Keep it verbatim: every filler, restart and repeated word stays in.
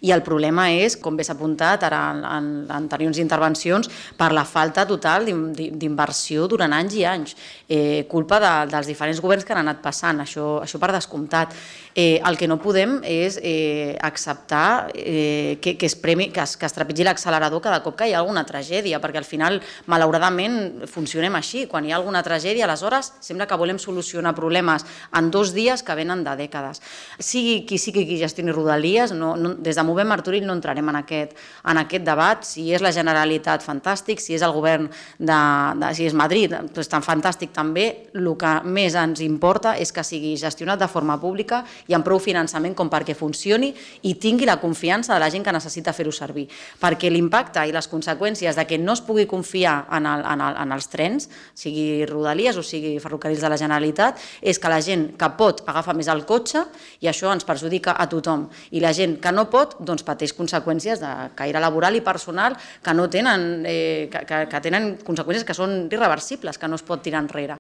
I el problema és, com bé s'ha apuntat ara en anteriors intervencions, per la falta total d'inversió durant anys i anys, culpa dels diferents governs que han anat passant, això per descomptat. El que no podem és acceptar que es trepitgi l'accelerador cada cop que hi ha alguna tragèdia, perquè al final, malauradament, funcionem així. Quan hi ha alguna tragèdia, aleshores sembla que volem solucionar problemes en dos dies que venen de dècades. Sigui qui sigui qui gestioni Rodalies, des de Movem Martorell no entrarem en aquest debat. Si és la Generalitat, fantàstic. Si és el govern de... si és Madrid, doncs tan fantàstic també. El que més ens importa és que sigui gestionat de forma pública i amb prou finançament com perquè funcioni i tingui la confiança de la gent que necessita fer-ho servir. Perquè l'impacte i les conseqüències de que no es pugui confiar en els trens, sigui Rodalies o sigui Ferrocarrils de la Generalitat, és que la gent que pot agafa més el cotxe i això ens perjudica a tothom. I la gent que no pot, doncs pateix conseqüències de caire laboral i personal que no tenen, que tenen conseqüències que són irreversibles, que no es pot tirar enrere.